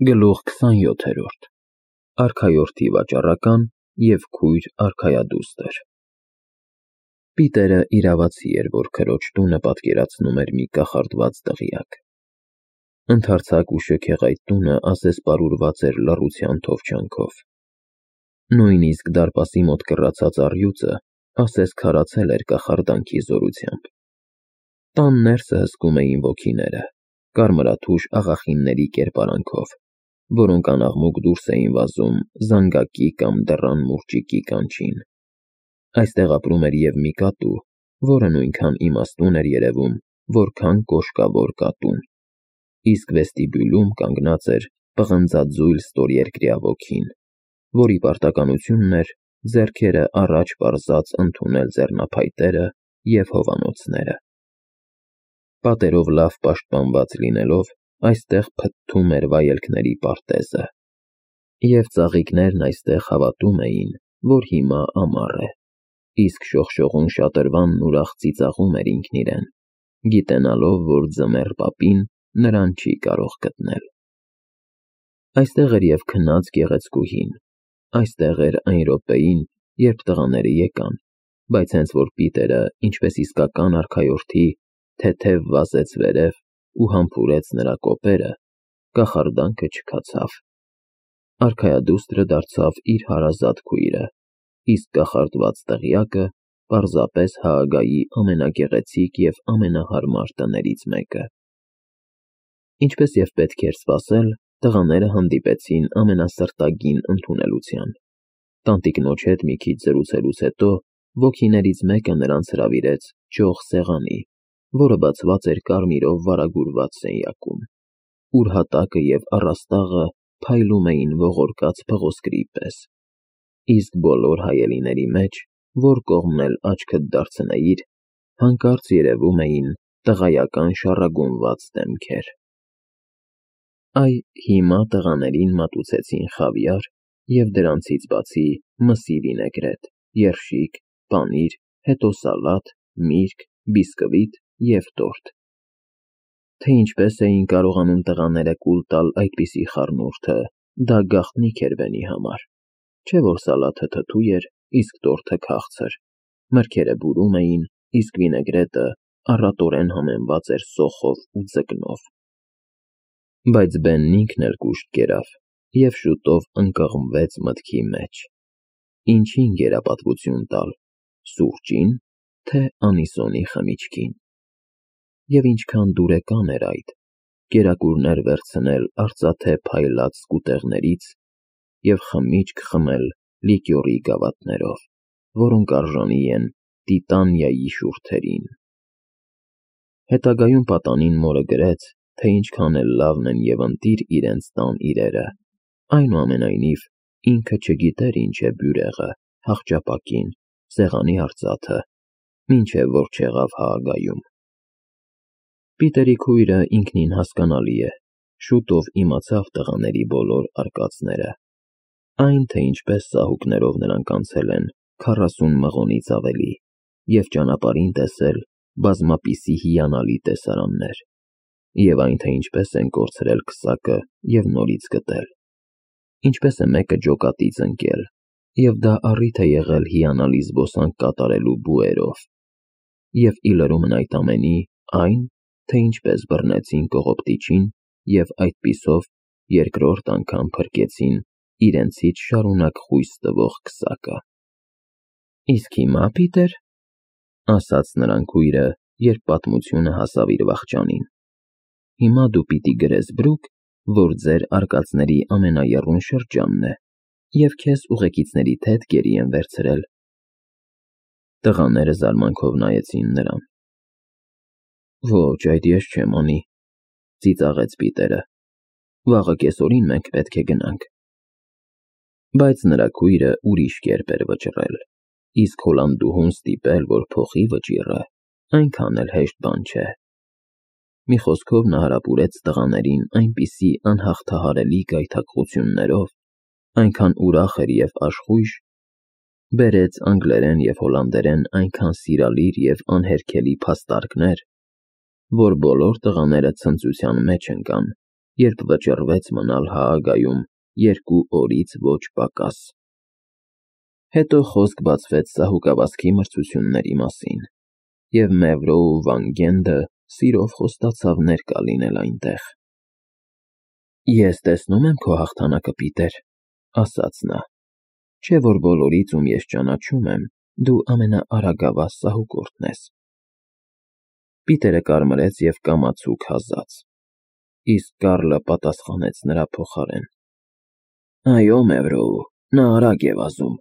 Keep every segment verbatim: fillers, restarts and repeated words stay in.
Գլուխ քսանյոթերորդ Արքայորդի վաճառական և քույր արքայադուստր Պիտերը իրավացի էր, որ քրոջ տունը պատկերացնում էր մի կախարդված դղյակ։ Ընդարձակ ու շքեղ այդ տունը ասես պարուրված էր լռության թովչանքով։ Նույնիսկ դարպասի մոտ կռացած առյուծը ասես քարացել էր կախարդանքի զորությամբ։ Տան ներսը հսկում էին ոգիները, կարմրաթուշ աղախինների կերպարանքով, որոնք անաղմուկ դուրս էին վազում զանգակի կամ դռան մուրճիկի կանչին։ Այստեղ ապրում էր և մի կատու, որը նույնքան իմաստուն էր երևում, որքան կոշկավոր կատուն, իսկ վեստիբյուլում կանգնած էր պղնձաձույլ ստորերկրյա ոգին, որի պարտականությունն էր ձեռքերը առաջ պարզած ընդունել ձեռնափայտերը և հովանոցները։ Պատերով լավ պաշտպանված լինելով, այստեղ փթթում էր վայելքների պարտեզը, և ծաղիկներն այստեղ հավատում էին, որ հիմա ամառ է, իսկ շողշողուն շատրվանն ուրախ ծիծաղում էր ինքն իրեն, գիտենալով, որ ձմեռ պապին նրան չի կարող գտնել։ Այստեղ էր և քնած գեղեցկուհին, այստեղ էր այն րոպեին, երբ տղաները եկան, բայց հենց որ Պիտերը, ինչպես իսկական արքայորդի, թեթև վազեց վերև ու համբուրեց նրա կոպերը, կախարդանքը չքացավ։ Արքայադուստրը դարձավ իր հարազատ քույրը, իսկ կախարդված դղյակը պարզապես Հաագայի ամենագեղեցիկ և ամենահարմար տներից մեկը։ Ինչպես և պետք էր սպասել, տղաները հանդիպեցին ամենասրտագին ընդունելության։ Տանտիկնոջ հետ մի քիչ զրուցելուց հետո ոգիներից մեկը նրանց հրավիրեց ճոխ սեղանի, որը բացված էր կարմիրով վարագուրված սենյակում, ուր հատակը և առաստաղը փայլում էին ողորկած փղոսկրի պես, իսկ բոլոր հայելիների մեջ, որ կողմն էլ աչքդ դարձնեիր, հանկարծ երևում էին տղայական շառագունված դեմքեր։ Այ հիմա տղաներին մատուցեցին խավիար և դրանցից բացի մսի վինեգրետ, երշիկ, պանիր, հետո սալատ, միրգ, բիսկվիտ և տորտ։ Թե ինչպես էին կարողանում տղաները կուլ տալ այդպիսի խառնուրդը, դա գաղտնիք էր Բենի համար, չէ՞ որ սալաթը թթու էր, իսկ տորթը քաղցր, մրգերը բուրում էին, իսկ վինեգրետը առատորեն համեմված էր սոխով ու ձկնով։ Բայց Բենն ինքն էլ կուշտ կերավ և շուտով ընկղմվեց մտքի մեջ. ինչին գերապատվություն տալ՝ սուրճի՞ն, թե անիսոնի խմիչքին։ Եվ ինչքան դուրեկան էր այդ, կերակուրներ վերցնել արծաթե փայլած սկուտեղներից և խմիչք խմել լիկյորի գավաթներով, որոնք արժանի են Տիտանիայի շուրթերին։ Հետագայում պատանին մորը գրեց, թե ինչքան էլ լավն են և ընտիր իրենց տան իրերը, այնուամենայնիվ ինքը չգիտեր ինչ է բյուրեղը, հախճապակին, սեղանի արծաթը, մինչև որ չեղավ Հաագայում։ Պիտերի քույրը ինքնին հասկանալի է, շուտով իմացավ տղաների բոլոր արկածները, այն, թե ինչպես ծահուկներով նրանք անցել են քառասուն մղոնից ավելի և ճանապարհին տեսել բազմապիսի հիանալի տեսարաններ, և այն, թե ինչպես են կորցրել քսակը և նորից գտել, ինչպես է մեկը ջոկատից ընկել, և դա առիթ է եղել հիանալի զբոսանք կատարելու բուերով, և ի լրումն այդ ամենի, այն, թե ինչպես բռնեցին կողոպտիչին և այդպիսով երկրորդ անգամ փրկեցին իրենցից շարունակ խույս տվող քսակը։ Իսկ հիմա, Պիտեր, ասաց նրան քույրը, երբ պատմությունը հասավ իր վախճանին, հիմա դու պիտի գրես Բրուկ, որ ձեր արկածների ամենաեռուն շրջանն է, և քեզ ուղեկիցներիդ հետ գերի են վերցրել։ Տղաները զարմանքով նայեցին նրան։ Ոչ, այդ ես չեմ անի, ծիծաղեց Պիտերը, վաղը կեսօրին մենք պետք է գնանք։ Բայց նրա քույրը ուրիշ կերպ էր վճռել, իսկ հոլանդուհուն ստիպել, որ փոխի վճիռը, այնքան էլ հեշտ բան չէ։ Մի խոսքով նա հարապուրեց տղաներին այնպիսի անհաղթահարելի գայթակղություններով, այնքան ուրախ էր և աշխույժ, բերեց անգլերեն և հոլանդերեն այնքան սիրալիր և անհերքելի փաստարկներ, որ բոլոր տղաները ցնծության մեջ ընկան երբ վճռվեց մնալ Հաագայում երկու օրից ոչ պակաս։ Հետո խոսք բացվեց սահուկավազքի մրցությունների մասին, և Մևրոու Վան Գենդը սիրով խոստացավ ներկա լինել այնտեղ։ «Ես տեսնում եմ քո հաղթանակը, Պիտեր,» ասաց նա, «չէ՞ որ բոլորից, ում ես ճանաչում եմ, դու ամենաարագավազ սահուկորդն ես»։ Պիտերը կարմրեց և կամացուկ հազաց, իսկ Կարլը պատասխանեց նրա փոխարեն. «Այո, Մևրոու, նա արագ է վազում,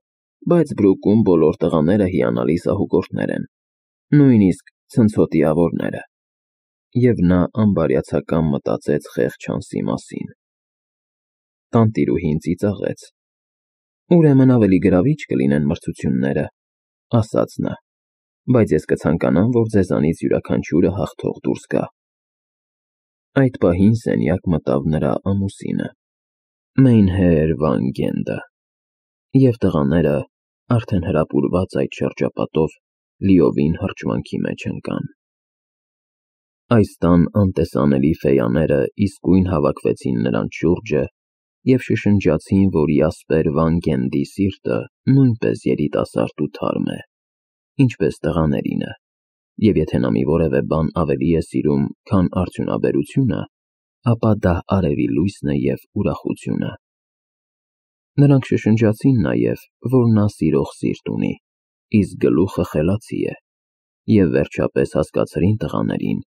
բայց Բրուկում բոլոր տղաները հիանալի սահուկորդներ են, նույնիսկ ցնցոտիավորները»։ Եվ նա անբարյացակամ մտածեց խեղճ Հանսի մասին։ Տանտիրուհին ծիծաղեց. «Ուրեմն ավելի գրավիչ կլինեն մրցությունները», ասաց նա, «բայց ես կցանկանամ, որ ձեզանից յուրաքանչյուրը հաղթող դուրս գա»։ Այդ պահին սենյակ մտավ նրա ամուսինը՝ Մեյնհեեր Վան Գենդը, և տղաները, արդեն հրապուրված այդ շրջապատով, լիովին հրճվանքի մեջ ընկան։ Այս տան անտեսանելի ֆեյաները իսկույն հավաքվեցին նրանց շուրջը և շշնջացին, որ Յասպեր Վան Գենդի սիրտը նույնպես երիտասարդ ու թարմ է, ինչպես տղաներինը, և եթե նա մի որևէ բան ավելի է սիրում, քան արդյունաբերությունը, ապա դա արևի լույսն է և ուրախությունը։ Նրանք շշնջացին նաև, որ նա սիրող սիրտ ունի, իսկ գլուխը խելացի է, և վերջապես հասկացրին տղաներին,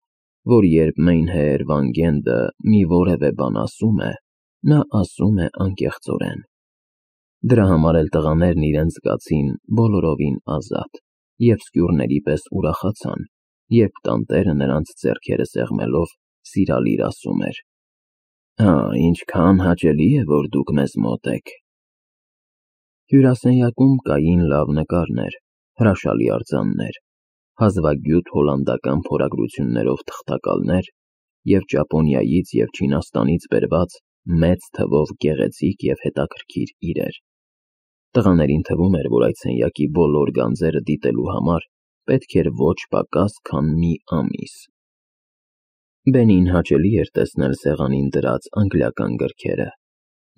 որ երբ Մեյնհեեր Վան Գենդը մի որևէ բան ասում է, նա ասում է անկեղծորեն։ Դրա համար էլ տղաներն իրենց զգացին բոլորովին ազատ և սկյուռների պես ուրախացան, երբ տանտերը նրանց ձեռքերը սեղմելով սիրալիր ասում էր. «Ահ, ինչքան հաճելի է, որ դուք մեզ մոտ եք»։ Հյուրասենյակում կային լավ նկարներ, հրաշալի արձաններ, հազվագյուտ հոլանդական փորագրություններով թղթակալներ և Ճապոնիայից և Չինաստանից բերված մեծ թվով գեղեցիկ և հետաքրքիր իրեր։ Տղաներին թվում էր, որ այդ սենյակի բոլոր գանձերը դիտելու համար պետք էր ոչ պակաս, քան մի ամիս։ Բենին հաճելի էր տեսնել սեղանին դրած անգլիական գրքերը։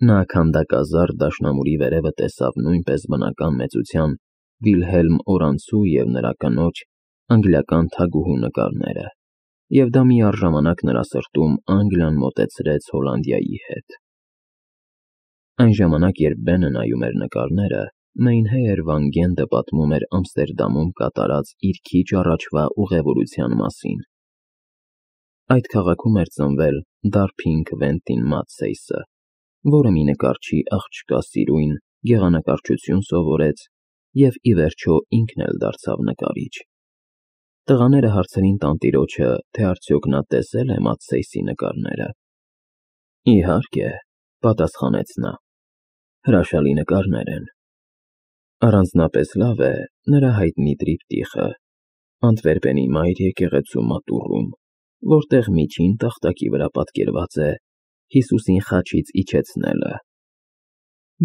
Նա քանդակազարդ դաշնամուրի վերևը տեսավ նույնպես բնական մեծության Վիլհելմ Օրանցու և նրա կնոջ անգլիական թագուհու նկարները, և դա միառժամանակ նրա սրտում Անգլիան մոտեցրեց Հոլանդիայի հետ։ Այն ժամանակ, երբ Բենը նայում էր նկարները, Մեյնհեեր Վան Գենդը պատմում էր Ամստերդամում կատարած իր քիչ առաջվա ուղևորության մասին։ Այդ քաղաքում էր ծնվել Դարփին Քվենտին Մաթսեյսը, որը մի նկարչի աղջկա սիրուն գեղանկարչություն սովորեց և ի վերջո ինքն էլ դարձավ նկարիչ։ Տղաները հարցրին տանտիրոջը, թե արդյոք նա տեսել է Մաթսեյսի նկարները։ «Իհարկե», պատասխանեց նա, «հրաշալի նկարներ են։ Առանձնապես լավ է նրա հայտնի տրիպտիխը Անտվերպենի մայր եկեղեցու մատուռում, որտեղ միջին տախտակի վրա պատկերված է Հիսուսին խաչից իջեցնելը։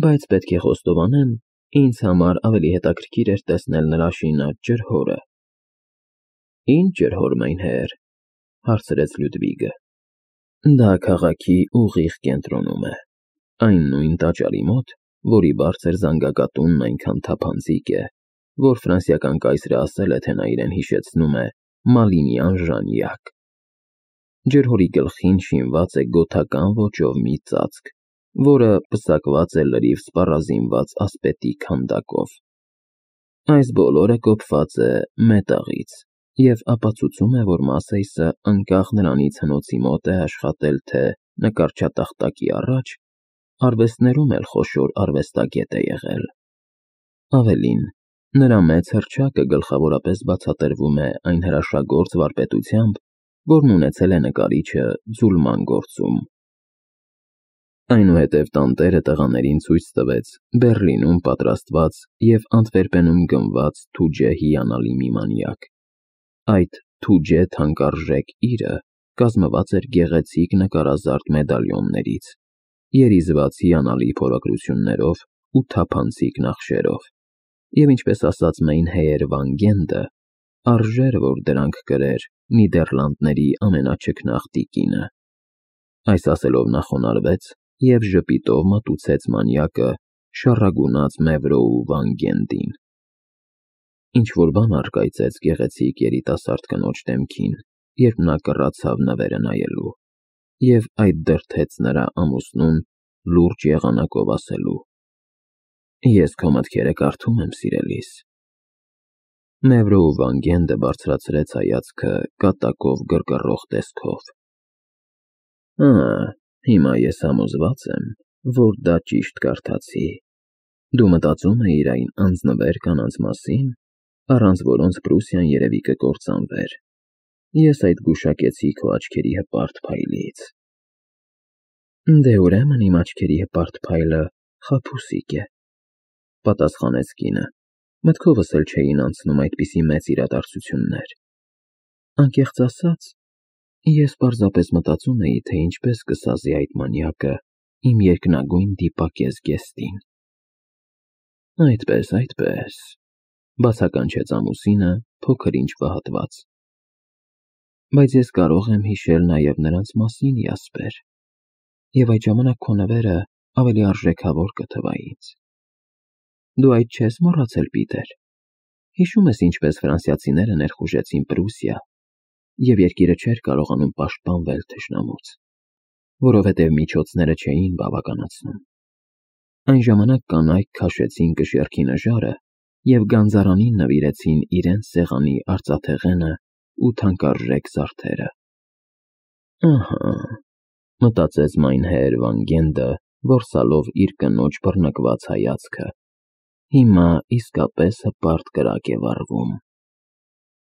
Բայց պետք է խոստովանեմ, ինձ համար ավելի հետաքրքիր էր տեսնել նրա շինած ջրհորը»։ «Ի՞նչ ջրհոր, Մեյնհեեր», հարցրեց Լյուդվիգը։ «Դա քաղաքի ուղիղ կենտրոնում է, այն նույն տաճարի մոտ, որի բարձր զանգակատունն այնքան թափանցիկ է, որ ֆրանսիական կայսրը ասել է, թե նա իրեն հիշեցնում է Մալինյան ժանյակ։ Ջրհորի գլխին շինված է գոթական ոճով մի ծածկ, որը պսակված է լրիվ սպառազինված ասպետի քանդակով։ Այս բոլորը կոփված է մետաղից և ապացուցում է, որ Մաթսեյսը անկախ նրանից հնոցի մոտ է աշխատել թե նկարչատախտակի առաջ, արվեստներում էլ խոշոր արվեստագետ է եղել։ Ավելին, նրա մեծ հռչակը գլխավորապես բացատրվում է այն հրաշագործ վարպետությամբ, որն ունեցել է նկարիչը ձուլման գործում»։ Այնուհետև տանտերը տղաներին ցույց տվեց Բեռլինում պատրաստված և Անտվերպենում գնված թուջե հիանալի մի մանյակ։ Այդ թուջե թանկարժեք իրը կազմված էր գեղեցիկ նկարազարդ մեդալիոններից, երիզված հիանալի փորագրություններով ու թափանցիկ նախշերով, և ինչպես ասաց Մեյնհեեր Վան Գենդը, արժեր որ դրանք կրեր Նիդեռլանդների ամենաչքնաղ տիկինը։ Այս ասելով նա խոնարհվեց և ժպիտով մատուցեց մանյակը շառագունած Մևրոու Վան-Գենդին։ Ինչ-որ բան առկայծեց գեղեցիկ երիտասարդ կնոջ դեմքին, երբ նա կռացավ նվերը նայելու, և այդ դրդեց նրա ամուսնուն լուրջ եղանակով ասելու. «Ես քո մտքերը կարդում եմ, սիրելիս»։ Մևրոու Վան-Գենդը բարձրացրեց հայացքը կատակով գրգռող տեսքով։ «Ա, հիմա ես համոզված եմ, որ դա ճիշտ կարդացի։ Դու մտածում էիր այն անձնվեր կանանց մասին, առանց որոնց Պրուսիան երևի կկործանվեր։ Ես այդ գուշակեցի քո աչքերի հպարտ փայլից»։ «Դե ուրեմն իմ աչքերի հպարտ փայլը խաբուսիկ է», պատասխանեց կինը, մտքովս էլ չէին անցնում այդպիսի մեծ իրադարձություններ։ «Անկեղծ ասած, ես պարզապես մտածում էի, թե ինչպես կսազի այդ մանյակը իմ երկնագույն դիպակես Գեստին»։ «Այդպես, այդպես», բացականչեց ամուսինը փոքր-ինչ վհատված։ «Բայց ես կարող եմ հիշել նաև նրանց մասին, Յասպեր, և այդ ժամանակ քո նվերը ավելի արժեքավոր կթվա ինձ։ Դու այդ չես մոռացել, Պիտեր, հիշո՞ւմ ես ինչպես ֆրանսիացիները ներխուժեցին Պրուսիա, և երկիրը չէր կարողանում պաշտպանվել թշնամուց, որովհետև միջոցները չէին բավականացնում։ Այն ժամանակ կանայք քաշեցին կշեռքի նժարը և գանձարանին նվիրեցին իրենց սեղանի արծաթեղենը ու թանկարժեք զարդերը»։ «Ահա», մտածեց Մայնհեր Վան-Գենդը, որսալով իր կնոջ բռնկված հայացքը, «հիմա իսկապես հպարտ կրակ է վառվում»։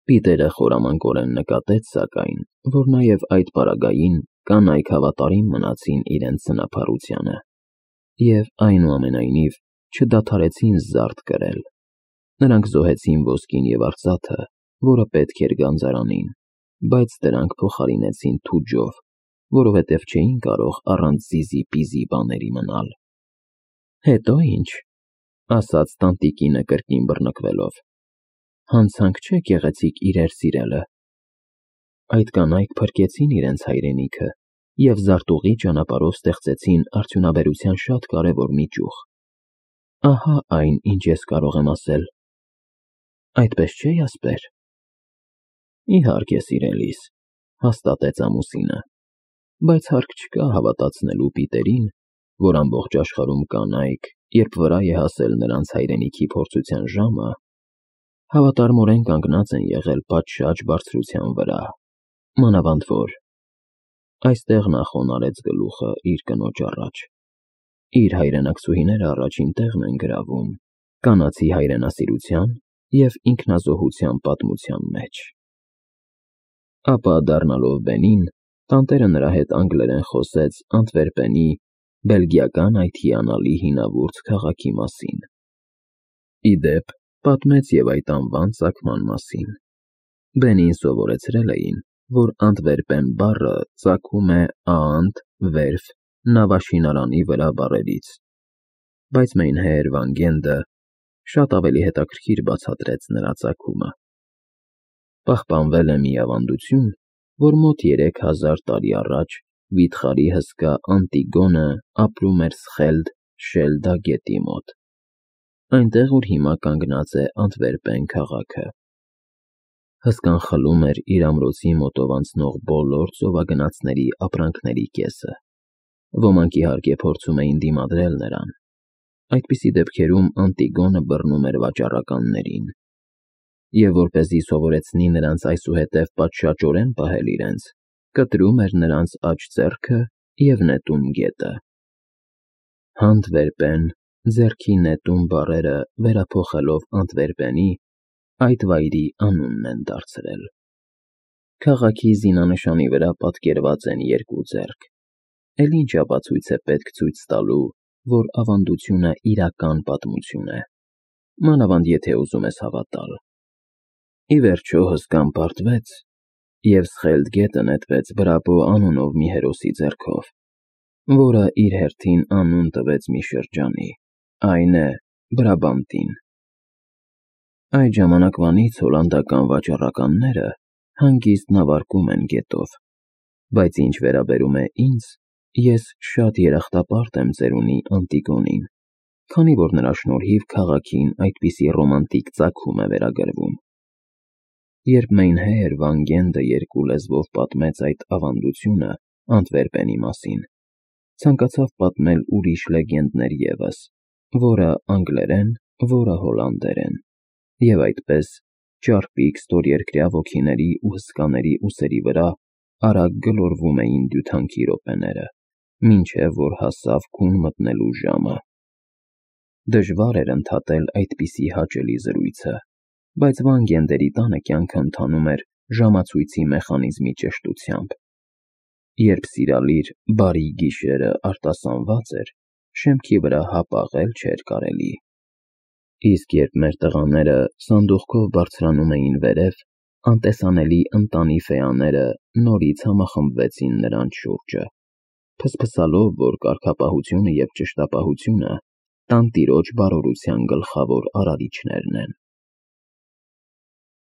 Պիտերը խորամանկորեն նկատեց, սակայն, որ նաև այդ պարագային կանայք հավատարիմ մնացին իրենց սնափառությանը և, այնուամենայնիվ, չդադարեցին զարդ կրել։ Նրանք զոհեցին ոսկին և արծաթը, որը պետք էր գանձարանին, բայց դրանք փոխարինեցին թուջով, որովհետև չէին կարող առանց զիզի-պիզի բաների մնալ։ «Հետո ի՞նչ», ասաց տանտիկինը կրկին բռնկվելով, «հանցանք չէ գեղեցիկ իրեր սիրելը»։ Այդ կանայք փրկեցին իրենց հայրենիքը և զարտուղի ճանապարհով ստեղծեցին արդյունաբերության շատ կարևոր մի ճյուղ։ Ահա այն, ինչ ես կարող եմ ասել։ Այդպես չէ՞, Յասպեր։ «Իհարկե, սիրելիս», հաստատեց ամուսինը, «բայց հարկ չկա հավատացնելու Պիտերին, որ ամբողջ աշխարհում կանայք, երբ վրա է հասել նրանց հայրենիքի փորձության ժամը, հավատարմորեն կանգնած են եղել պատշաճ բարձրության վրա, մանավանդ որ…»։ Այստեղ նա խոնարհեց գլուխը իր կնոջ առաջ։ «Իր հայրենակցուհիները առաջին տեղն են գրավում կանացի հայրենասիրության և ինքնազոհության պատմության մեջ»։ Ապա դառնալով բենին, տանտերը նրա հետ անգլերեն խոսեց Անտվերպենի բելգիական այդ հիանալի հինավուրց քաղաքի մասին։ Ի դեպ, պատմեց և այդ անվան ծագման մասին։ Բենին սովորեցրել էին, որ Անտվերպեն բառը ծագում է Աանտ վերֆ նավաշինարանի վրա բառերից, բայց Մայնհեր Վան-Գենդը շատ ավելի հետաքրքիր բացատրեց նրա ծագումը։ Պահպանվել է մի ավանդություն, որ մոտ երեք հազար տարի առաջ վիթխարի հսկա Անտիգոնը ապրում էր Սխելդ Շելդա գետի մոտ, այնտեղ, ուր հիմա կանգնած է Անտվերպեն քաղաքը։ Հսկան խլում էր իր ամրոցի մոտով անցնող բոլոր ծովագնացների ապրանքների կեսը։ Ոմանք, իհարկե, փորձում էին դիմադրել նրան։ Այդպիսի դեպքերում Անտիգոնը բռնում էր վաճառականներին և, որպեսզի սովորեցնի նրանց այսուհետև պատշաճորեն պահել իրենց, կտրում էր նրանց աջ ձեռքը և նետում գետը։ Հանտվերպեն, ձեռքի նետում բառերը վերափոխելով Անտվերպենի, այդ վայրի անունն են դարձրել։ Քաղաքի զինանշանի վրա պատկերված են երկու ձեռք, էլ ինչ ապացույց է պետք ցույց տալու, որ ավանդությունը իրական պատմություն է, մանավանդ եթե ուզում ես հավատալ։ Ի վերջո հսկան պարտվեց, և Սխելդ գետը նետվեց Բրաբո անունով մի հերոսի ձեռքով, որը իր հերթին անուն տվեց մի շրջանի, այն է Բրաբանտին։ Այդ ժամանակվանից հոլանդական վաճառականները հանգիստ նավարկում են գետով, բայց ինչ վերաբերում է ինձ, Ես շատ երախտապարտ եմ ծերունի Անտիգոնին, քանի որ նրա շնորհիվ քաղաքին այդպիսի ռոմանտիկ ծագում է վերագրվում։ Երբ Մեյնհեյր Վան Գենդը երկու լեզվով պատմեց այդ ավանդությունը Անտվերպենի մասին, ցանկացավ պատմել ուրիշ լեգենդներ ևս, որը անգլերեն, որը հոլանդերեն, և այդպես ճարպիկ ստորերկրյա ոգիների ու հսկաների ուսերի վրա արագ գլորվում էին դյութանքի րոպեները, մինչև որ հասավ քուն մտնելու ժամը։ Դժվար էր ընդհատել այդպիսի հաճելի զրույցը, բայց Վան Գենդերի տանը կյանքը ընթանում էր ժամացույցի մեխանիզմի ճշտությամբ. երբ սիրալիր բարի գիշերը արտասանված էր, շեմքի վրա հապաղել չէր կարելի։ Իսկ երբ մեր տղաները սանդուղքով բարձրանում էին վերև, անտեսանելի ընտանի ֆեաները նորից համախմբվեցին նրանց շուրջը, փսփսալով, որ կարգապահությունը և ճշտապահությունը տանտիրոջ բարօրության գլխավոր արարիչներն են։